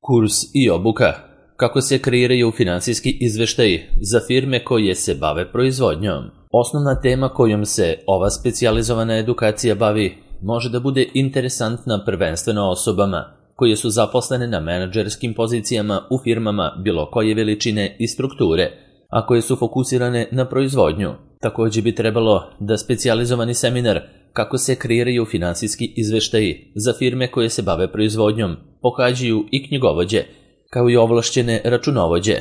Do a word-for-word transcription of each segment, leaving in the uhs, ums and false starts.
Kurs i obuka. Kako se kreiraju finansijski izveštaji za firme koje se bave proizvodnjom. Osnovna tema kojom se ova specijalizovana edukacija bavi može da bude interesantna prvenstveno osobama koje su zaposlene na menadžerskim pozicijama u firmama bilo koje veličine i strukture, a koje su fokusirane na proizvodnju. Također bi trebalo da specijalizovani seminar kako se kreiraju finansijski izveštaji za firme koje se bave proizvodnjom pohađaju i knjigovođe, kao i ovlašćene računovođe,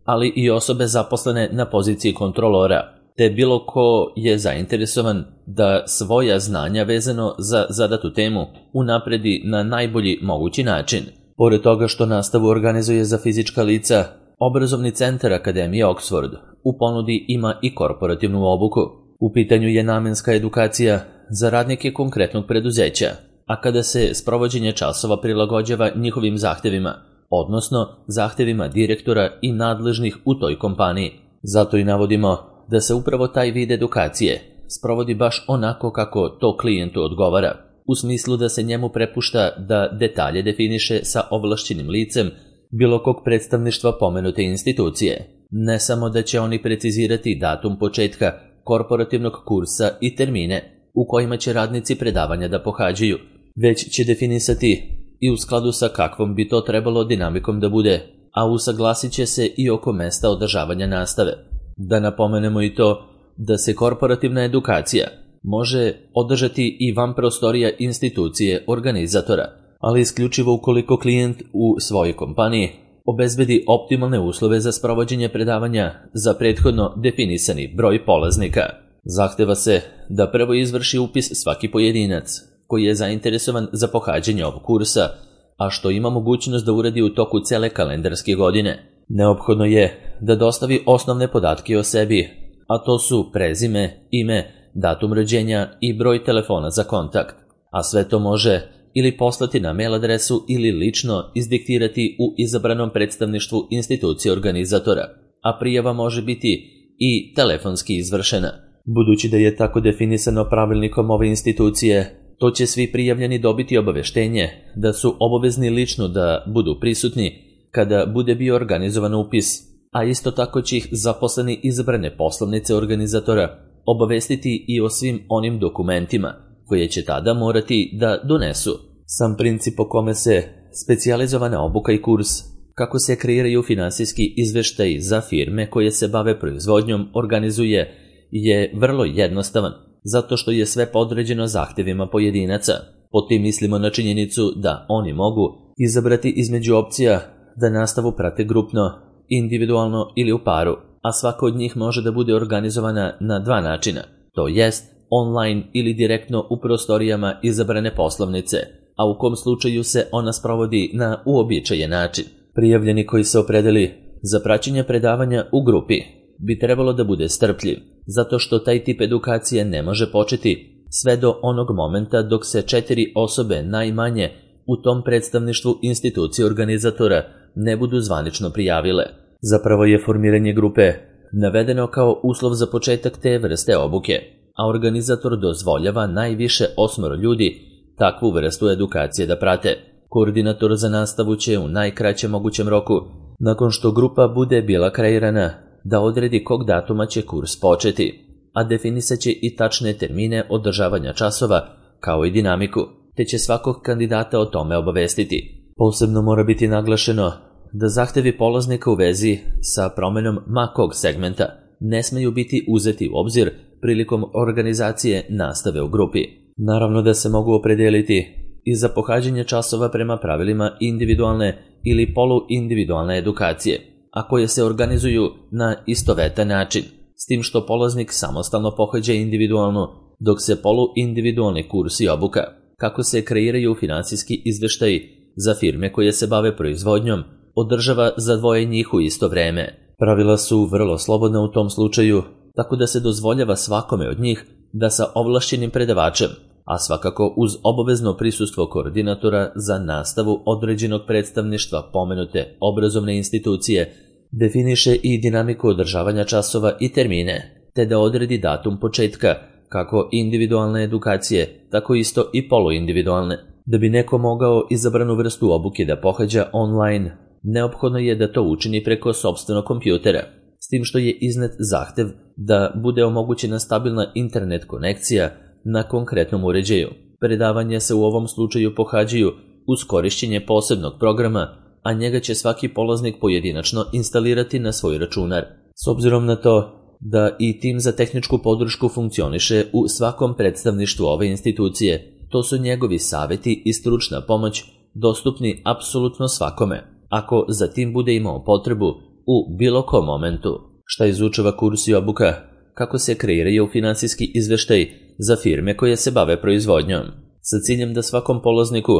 ali i osobe zaposlene na poziciji kontrolora, te bilo ko je zainteresovan da svoja znanja vezano za zadatu temu unapredi na najbolji mogući način. Pored toga što nastavu organizuje za fizička lica, Obrazovni centar Akademije Oxford u ponudi ima i korporativnu obuku. U pitanju je namenska edukacija za radnike konkretnog preduzeća, a kada se sprovođenje časova prilagođava njihovim zahtevima, odnosno zahtevima direktora i nadležnih u toj kompaniji. Zato i navodimo da se upravo taj vid edukacije sprovodi baš onako kako to klijentu odgovara, u smislu da se njemu prepušta da detalje definiše sa ovlašćenim licem bilo kog predstavništva pomenute institucije. Ne samo da će oni precizirati datum početka korporativnog kursa i termine u kojima će radnici predavanja da pohađaju, već će definisati i u skladu sa kakvom bi to trebalo dinamikom da bude, a usaglasit će se i oko mesta održavanja nastave. Da napomenemo i to da se korporativna edukacija može održati i van prostorija institucije organizatora, ali isključivo ukoliko klijent u svojoj kompaniji obezbedi optimalne uslove za sprovođenje predavanja za prethodno definisani broj polaznika. Zahteva se da prvo izvrši upis svaki pojedinac koji je zainteresovan za pohađanje ovog kursa, a što ima mogućnost da uradi u toku cele kalendarske godine. Neophodno je da dostavi osnovne podatke o sebi, a to su prezime, ime, datum rođenja i broj telefona za kontakt, a sve to može ili poslati na mail adresu ili lično izdiktirati u izabranom predstavništvu institucije organizatora, a prijava može biti i telefonski izvršena. Budući da je tako definisano pravilnikom ove institucije, to će svi prijavljeni dobiti obaveštenje da su obavezni lično da budu prisutni kada bude bio organizovan upis, a isto tako će ih zaposleni izabrane poslovnice organizatora obavestiti i o svim onim dokumentima koje će tada morati da donesu. Sam princip po kome se specijalizovana obuka i kurs kako se kreiraju finansijski izveštaji za firme koje se bave proizvodnjom organizuje je vrlo jednostavan, zato što je sve podređeno zahtevima pojedinaca. Pod tim mislimo na činjenicu da oni mogu izabrati između opcija da nastavu prate grupno, individualno ili u paru, a svaka od njih može da bude organizovana na dva načina, to jest online ili direktno u prostorijama izabrane poslovnice, a u kom slučaju se ona sprovodi na uobičajen način. Prijavljeni koji se opredeli za praćenje predavanja u grupi bi trebalo da bude strpljiv, zato što taj tip edukacije ne može početi sve do onog momenta dok se četiri osobe najmanje u tom predstavništvu institucije organizatora ne budu zvanično prijavile. Zapravo je formiranje grupe navedeno kao uslov za početak te vrste obuke, a organizator dozvoljava najviše osmoro ljudi takvu vrstu edukacije da prate. Koordinator za nastavu će u najkraćem mogućem roku, nakon što grupa bude bila kreirana, da odredi kog datuma će kurs početi, a definisat će i tačne termine održavanja časova, kao i dinamiku, te će svakog kandidata o tome obavestiti. Posebno mora biti naglašeno da zahtevi polaznika u vezi sa promenom ma kog segmenta ne smeju biti uzeti u obzir prilikom organizacije nastave u grupi. Naravno da se mogu opredeliti i za pohađanje časova prema pravilima individualne ili poluindividualne edukacije, a koje se organizuju na istovetan način, s tim što polaznik samostalno pohađa individualno, dok se poluindividualni kurs i obuka kako se kreiraju finansijski izveštaji za firme koje se bave proizvodnjom održava za dvoje njih u isto vreme. Pravila su vrlo slobodna u tom slučaju, tako da se dozvoljava svakome od njih da sa ovlašćenim predavačem, a svakako uz obavezno prisustvo koordinatora za nastavu određenog predstavništva pomenute obrazovne institucije, definiše i dinamiku održavanja časova i termine, te da odredi datum početka kako individualne edukacije, tako isto i poluindividualne. Da bi neko mogao izabranu vrstu obuke da pohađa online, neophodno je da to učini preko sopstvenog kompjutera, s tim što je iznet zahtev da bude omogućena stabilna internet konekcija na konkretnom uređaju. Predavanja se u ovom slučaju pohađaju uz korišćenje posebnog programa, a njega će svaki polaznik pojedinačno instalirati na svoj računar. S obzirom na to da i tim za tehničku podršku funkcioniše u svakom predstavništvu ove institucije, to su njegovi saveti i stručna pomoć dostupni apsolutno svakome, ako za tim bude imao potrebu u bilo kom momentu. Šta izučava kurs i obuka? Kako se kreiraju finansijski izveštaj za firme koje se bave proizvodnjom, sa ciljem da svakom polazniku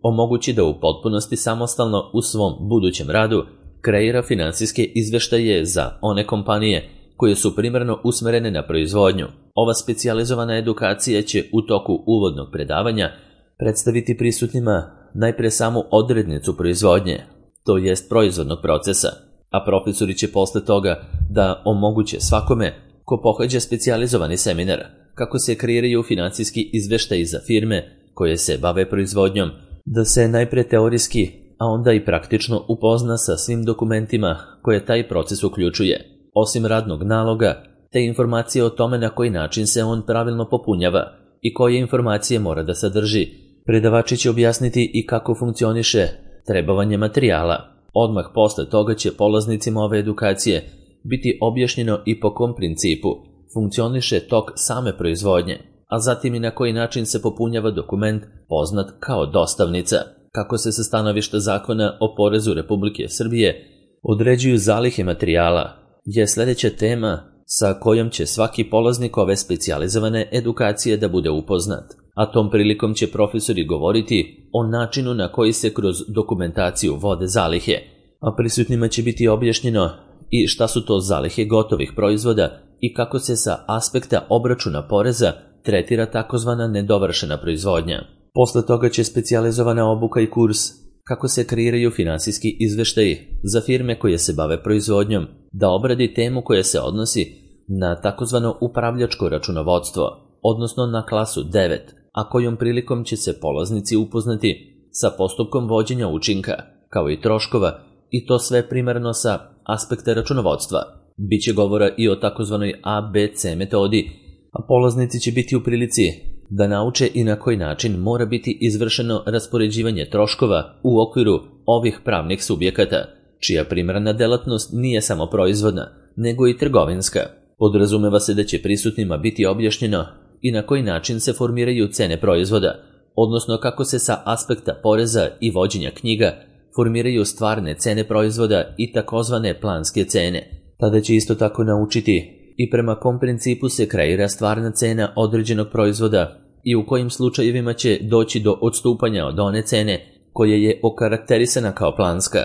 omogući da u potpunosti samostalno u svom budućem radu kreira finansijske izveštaje za one kompanije koje su primarno usmerene na proizvodnju. Ova specijalizovana edukacija će u toku uvodnog predavanja predstaviti prisutnima najpre samu odrednicu proizvodnje, to jest proizvodnog procesa, a profesori će posle toga da omoguće svakome ko pohađa specijalizovani seminar kako se kreiraju finansijski izveštaji za firme koje se bave proizvodnjom, da se najpre teorijski, a onda i praktično upozna sa svim dokumentima koje taj proces uključuje. Osim radnog naloga, te informacije o tome na koji način se on pravilno popunjava i koje informacije mora da sadrži, predavači će objasniti i kako funkcioniše trebovanje materijala. Odmah posle toga će polaznicima ove edukacije biti objašnjeno i po kom principu funkcioniše tok same proizvodnje, a zatim i na koji način se popunjava dokument poznat kao dostavnica, kako se sa stanovišta zakona o porezu Republike Srbije određuju zalihe materijala, je sljedeća tema sa kojom će svaki polaznik ove specijalizovane edukacije da bude upoznat, a tom prilikom će profesori govoriti o načinu na koji se kroz dokumentaciju vode zalihe, a prisutnima će biti objašnjeno i šta su to zalihe gotovih proizvoda i kako se sa aspekta obračuna poreza tretira takozvana nedovršena proizvodnja. Posle toga će specijalizovana obuka i kurs kako se kreiraju finansijski izveštaji za firme koje se bave proizvodnjom da obradi temu koja se odnosi na takozvano upravljačko računovodstvo, odnosno na klasu devet, a kojom prilikom će se polaznici upoznati sa postupkom vođenja učinka, kao i troškova, i to sve primarno sa aspekta računovodstva. Biće govora i o takozvanoj A B C metodi, a polaznici će biti u prilici da nauče i na koji način mora biti izvršeno raspoređivanje troškova u okviru ovih pravnih subjekata, čija primarna delatnost nije samo proizvodna, nego i trgovinska. Podrazumeva se da će prisutnima biti objašnjeno i na koji način se formiraju cene proizvoda, odnosno kako se sa aspekta poreza i vođenja knjiga formiraju stvarne cene proizvoda i takozvane planske cene. Tada će isto tako naučiti i prema kom principu se kreira stvarna cena određenog proizvoda i u kojim slučajevima će doći do odstupanja od one cene koja je okarakterisana kao planska.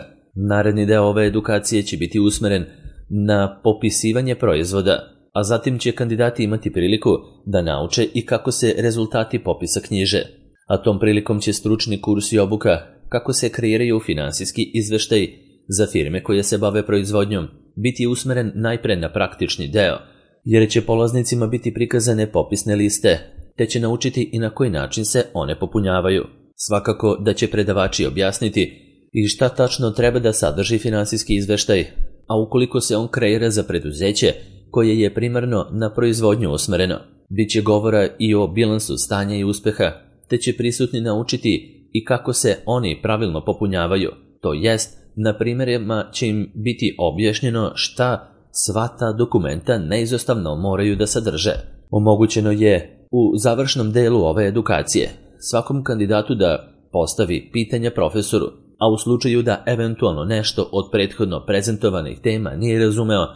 Naredni deo ove edukacije će biti usmeren na popisivanje proizvoda, a zatim će kandidati imati priliku da nauče i kako se rezultati popisa knjiže. A tom prilikom će stručni kurs i obuka kako se kreiraju finansijski izveštaj za firme koje se bave proizvodnjom biti usmeren najpre na praktični deo, jer će polaznicima biti prikazane popisne liste, te će naučiti i na koji način se one popunjavaju. Svakako da će predavači objasniti i šta tačno treba da sadrži finansijski izveštaj, a ukoliko se on kreira za preduzeće koje je primarno na proizvodnju usmereno, bit će govora i o bilansu stanja i uspeha, te će prisutni naučiti i kako se oni pravilno popunjavaju, to jest na primjerima će im biti objašnjeno šta sva ta dokumenta neizostavno moraju da sadrže. Omogućeno je u završnom delu ove edukacije svakom kandidatu da postavi pitanja profesoru, a u slučaju da eventualno nešto od prethodno prezentovanih tema nije razumeo,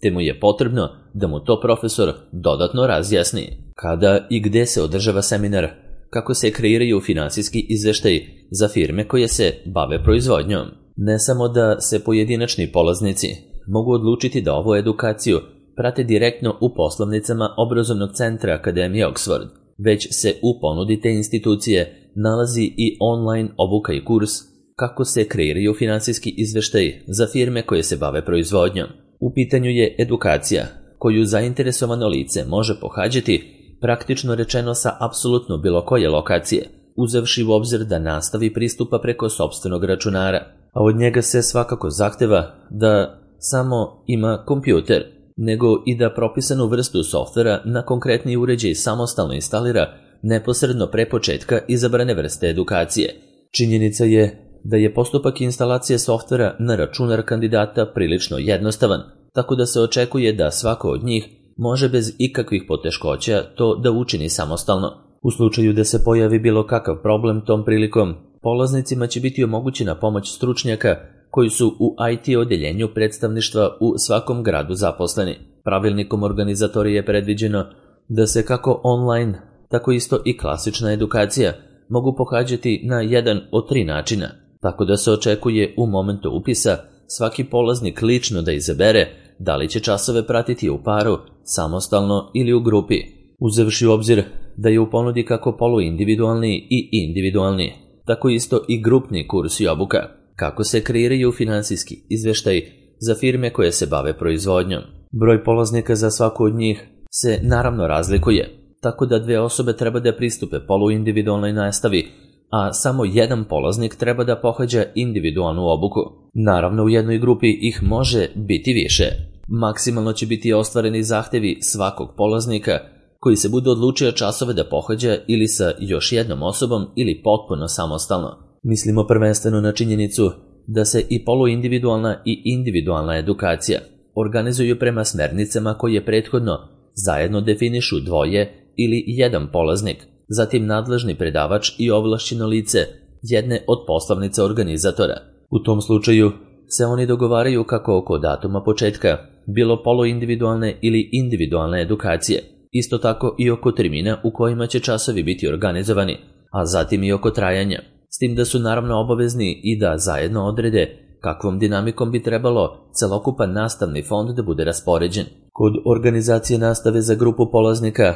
te mu je potrebno da mu to profesor dodatno razjasni. Kada i gde se održava seminar, kako se kreiraju finansijski izveštaji za firme koje se bave proizvodnjom. Ne samo da se pojedinačni polaznici mogu odlučiti da ovu edukaciju prate direktno u poslovnicama obrazovnog centra Akademije Oxford, već se u ponudi te institucije nalazi i online obuka i kurs kako se kreiraju finansijski izveštaji za firme koje se bave proizvodnjom. U pitanju je edukacija koju zainteresovano lice može pohađati praktično rečeno sa apsolutno bilo koje lokacije, uzevši u obzir da nastavi pristupa preko sopstvenog računara, a od njega se svakako zahteva da samo ima kompjuter, nego i da propisanu vrstu softvera na konkretni uređaj samostalno instalira neposredno pre početka izabrane vrste edukacije. Činjenica je da je postupak instalacije softvera na računar kandidata prilično jednostavan, tako da se očekuje da svako od njih može bez ikakvih poteškoća to da učini samostalno. U slučaju da se pojavi bilo kakav problem tom prilikom, polaznicima će biti omogućena pomoć stručnjaka koji su u I T odeljenju predstavništva u svakom gradu zaposleni. Pravilnikom organizatorije je predviđeno da se kako online, tako isto i klasična edukacija mogu pohađati na jedan od tri načina, tako da se očekuje u momentu upisa svaki polaznik lično da izabere da li će časove pratiti u paru, samostalno ili u grupi, uzevši u obzir da je u ponudi kako poluindividualni i individualni, tako isto i grupni kurs i obuka, kako se kreiraju finansijski izveštaj za firme koje se bave proizvodnjom. Broj polaznika za svaku od njih se naravno razlikuje, tako da dve osobe treba da pristupe poluindividualnoj nastavi, a samo jedan polaznik treba da pohađa individualnu obuku. Naravno, u jednoj grupi ih može biti više. Maksimalno će biti ostvareni zahtevi svakog polaznika koji se bude odlučio časove da pohađa ili sa još jednom osobom ili potpuno samostalno. Mislimo prvenstveno na činjenicu da se i poluindividualna i individualna edukacija organizuju prema smernicama koje prethodno zajedno definišu dvoje ili jedan polaznik, zatim nadležni predavač i ovlašćeno lice jedne od poslovnica organizatora. U tom slučaju se oni dogovaraju kako oko datuma početka, bilo poluindividualne ili individualne edukacije, isto tako i oko termina u kojima će časovi biti organizovani, a zatim i oko trajanja, s tim da su naravno obavezni i da zajedno odrede kakvom dinamikom bi trebalo celokupan nastavni fond da bude raspoređen. Kod organizacije nastave za grupu polaznika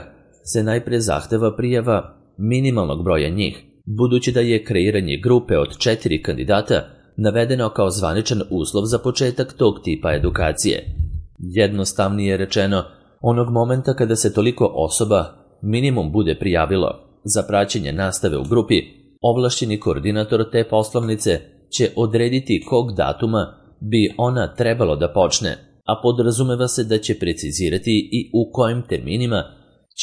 se najpre zahteva prijava minimalnog broja njih, budući da je kreiranje grupe od četiri kandidata navedeno kao zvaničan uslov za početak tog tipa edukacije. Jednostavnije rečeno, onog momenta kada se toliko osoba minimum bude prijavilo za praćenje nastave u grupi, ovlašćeni koordinator te poslovnice će odrediti kog datuma bi ona trebalo da počne, a podrazumeva se da će precizirati i u kojim terminima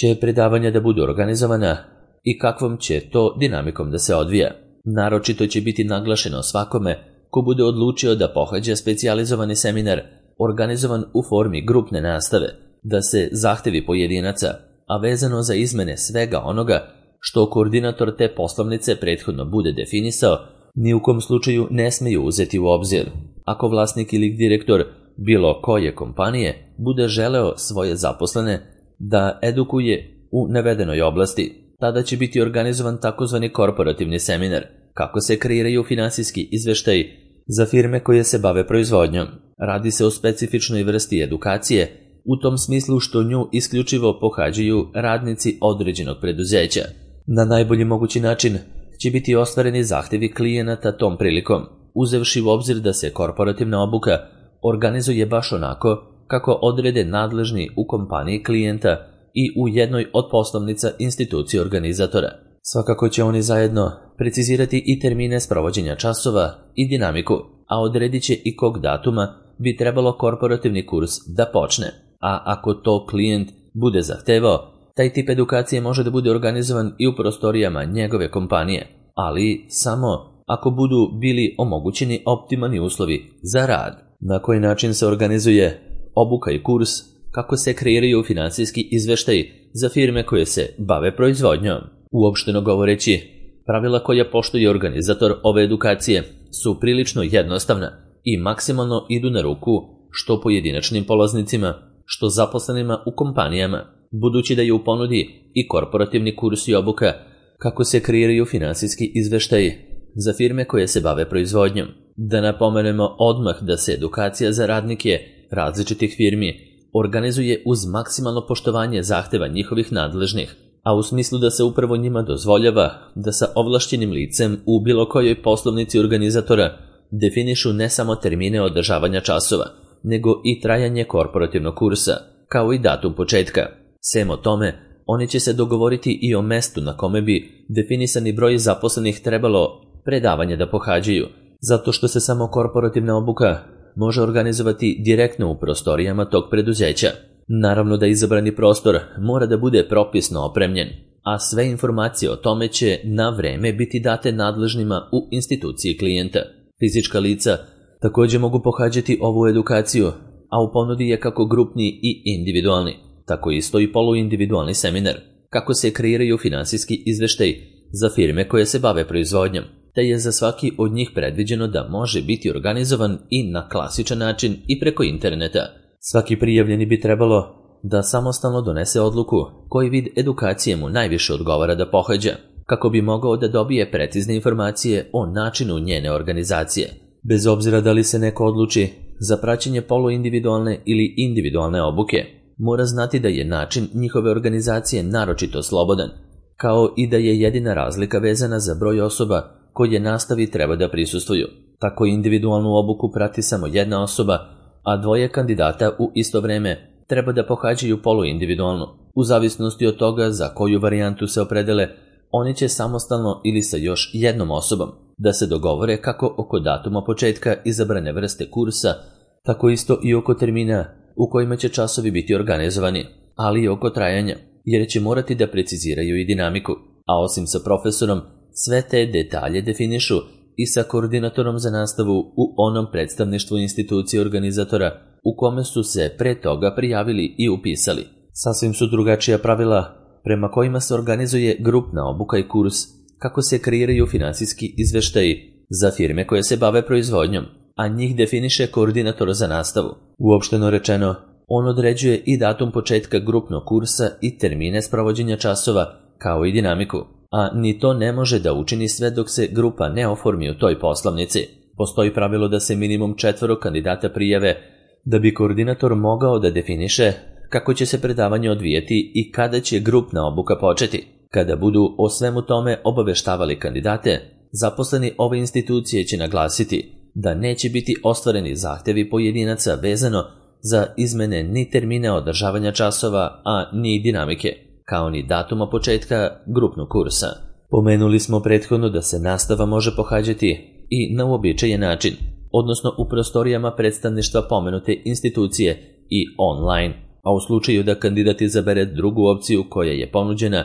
će predavanja da budu organizovana i kakvom će to dinamikom da se odvija. Naročito će biti naglašeno svakome ko bude odlučio da pohađa specijalizovani seminar organizovan u formi grupne nastave, da se zahtevi pojedinaca, a vezano za izmene svega onoga što koordinator te poslovnice prethodno bude definisao, ni u kom slučaju ne smeju uzeti u obzir. Ako vlasnik ili direktor bilo koje kompanije bude želeo svoje zaposlene da edukuje u navedenoj oblasti, tada će biti organizovan takozvani korporativni seminar, kako se kreiraju finansijski izveštaji za firme koje se bave proizvodnjom. Radi se o specifičnoj vrsti edukacije, u tom smislu što nju isključivo pohađaju radnici određenog preduzeća. Na najbolji mogući način će biti ostvareni zahtevi klijenata tom prilikom, uzevši u obzir da se korporativna obuka organizuje baš onako kako odrede nadležni u kompaniji klijenta i u jednoj od poslovnica institucije organizatora. Svakako će oni zajedno precizirati i termine sprovođenja časova i dinamiku, a odredit će i kog datuma bi trebalo korporativni kurs da počne. A ako to klijent bude zahtevao, taj tip edukacije može da bude organizovan i u prostorijama njegove kompanije, ali samo ako budu bili omogućeni optimalni uslovi za rad. Na koji način se organizuje obuka i kurs, kako se kreiraju finansijski izveštaji za firme koje se bave proizvodnjom. Uopšteno govoreći, pravila koja poštuje organizator ove edukacije su prilično jednostavna i maksimalno idu na ruku što pojedinačnim polaznicima, što zaposlenima u kompanijama, budući da je u ponudi i korporativni kurs i obuka kako se kreiraju finansijski izveštaji za firme koje se bave proizvodnjom. Da napomenemo odmah da se edukacija za radnike različitih firmi organizuje uz maksimalno poštovanje zahteva njihovih nadležnih, a u smislu da se upravo njima dozvoljava da sa ovlašćenim licem u bilo kojoj poslovnici organizatora definišu ne samo termine održavanja časova, nego i trajanje korporativnog kursa, kao i datum početka. Sem o tome, Oni će se dogovoriti i o mestu na kome bi definisani broj zaposlenih trebalo predavanje da pohađaju, zato što se samo korporativna obuka može organizovati direktno u prostorijama tog preduzeća. Naravno da izabrani prostor mora da bude propisno opremljen, a sve informacije o tome će na vreme biti date nadležnima u instituciji klijenta. Fizička lica također mogu pohađati ovu edukaciju, a u ponudi je kako grupni i individualni, tako isto i poluindividualni seminar, kako se kreiraju finansijski izveštaj za firme koje se bave proizvodnjom, te je za svaki od njih predviđeno da može biti organizovan i na klasičan način i preko interneta. Svaki prijavljeni bi trebalo da samostalno donese odluku koji vid edukacije mu najviše odgovara da pohađa, kako bi mogao da dobije precizne informacije o načinu njene organizacije. Bez obzira da li se neko odluči za praćenje poluindividualne ili individualne obuke, mora znati da je način njihove organizacije naročito slobodan, kao i da je jedina razlika vezana za broj osoba koje nastavi treba da prisustvuju. Tako individualnu obuku prati samo jedna osoba, a dvoje kandidata u isto vreme treba da pohađaju poluindividualnu. U zavisnosti od toga za koju varijantu se opredele, oni će samostalno ili sa još jednom osobom da se dogovore kako oko datuma početka izabrane vrste kursa, tako isto i oko termina u kojima će časovi biti organizovani, ali i oko trajanja, jer će morati da preciziraju i dinamiku, a osim sa profesorom, sve te detalje definišu i sa koordinatorom za nastavu u onom predstavništvu institucije organizatora u kome su se pre toga prijavili i upisali. Sasvim su drugačija pravila prema kojima se organizuje grupna obuka i kurs, kako se kreiraju finansijski izveštaji za firme koje se bave proizvodnjom, a njih definiše koordinator za nastavu. Uopšteno rečeno, on određuje i datum početka grupnog kursa i termine sprovođenja časova, kao i dinamiku, a ni to ne može da učini sve dok se grupa ne oformi u toj poslovnici. Postoji pravilo da se minimum četvoro kandidata prijave da bi koordinator mogao da definiše kako će se predavanje odvijeti i kada će grupna obuka početi. Kada budu o svemu tome obaveštavali kandidate, zaposleni ove institucije će naglasiti da neće biti ostvareni zahtevi pojedinaca vezano za izmene ni termine održavanja časova, a ni dinamike, kao ni datuma početka grupnog kursa. Pomenuli smo prethodno da se nastava može pohađati i na uobičajen način, odnosno u prostorijama predstavništva pomenute institucije i online, a u slučaju da kandidat izabere drugu opciju koja je ponuđena,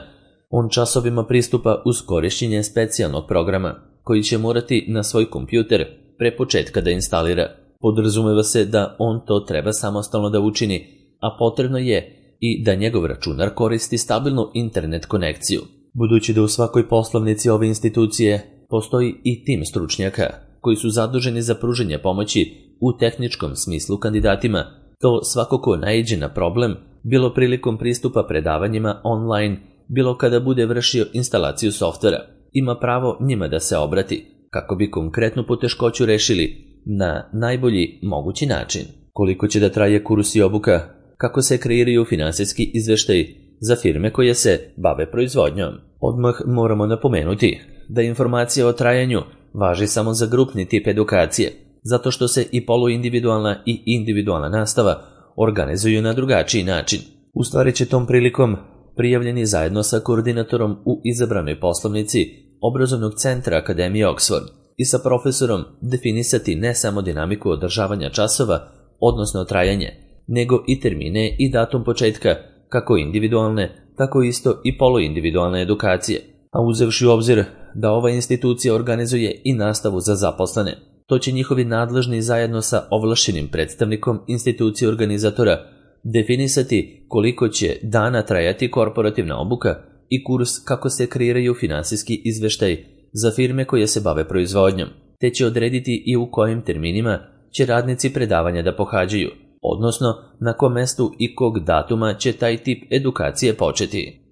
on časovima pristupa uz korišćenje specijalnog programa, koji će morati na svoj kompjuter pre početka da instalira. Podrazumeva se da on to treba samostalno da učini, a potrebno je i da njegov računar koristi stabilnu internet konekciju. Budući da u svakoj poslovnici ove institucije postoji i tim stručnjaka koji su zaduženi za pružanje pomoći u tehničkom smislu kandidatima, to svakako naiđe na problem, bilo prilikom pristupa predavanjima online, bilo kada bude vršio instalaciju softvera. Ima pravo njima da se obrati, kako bi konkretnu poteškoću rešili na najbolji mogući način. Koliko će da traje kurs i obuka, kako se kreiraju finansijski izveštaj za firme koje se bave proizvodnjom. Odmah moramo napomenuti da informacija o trajanju važi samo za grupni tip edukacije, zato što se i poluindividualna i individualna nastava organizuju na drugačiji način. U stvari će tom prilikom prijavljeni zajedno sa koordinatorom u izabranoj poslovnici obrazovnog centra Akademije Oxford i sa profesorom definisati ne samo dinamiku održavanja časova, odnosno trajanje, nego i termine i datum početka kako individualne, tako isto i poluindividualne edukacije, a uzevši u obzir da ova institucija organizuje i nastavu za zaposlene, to će njihovi nadležni zajedno sa ovlašćenim predstavnikom institucije organizatora definisati koliko će dana trajati korporativna obuka i kurs kako se kreiraju finansijski izveštaj za firme koje se bave proizvodnjom, te će odrediti i u kojim terminima će radnici predavanja da pohađaju, odnosno na kom mestu i kog datuma će taj tip edukacije početi.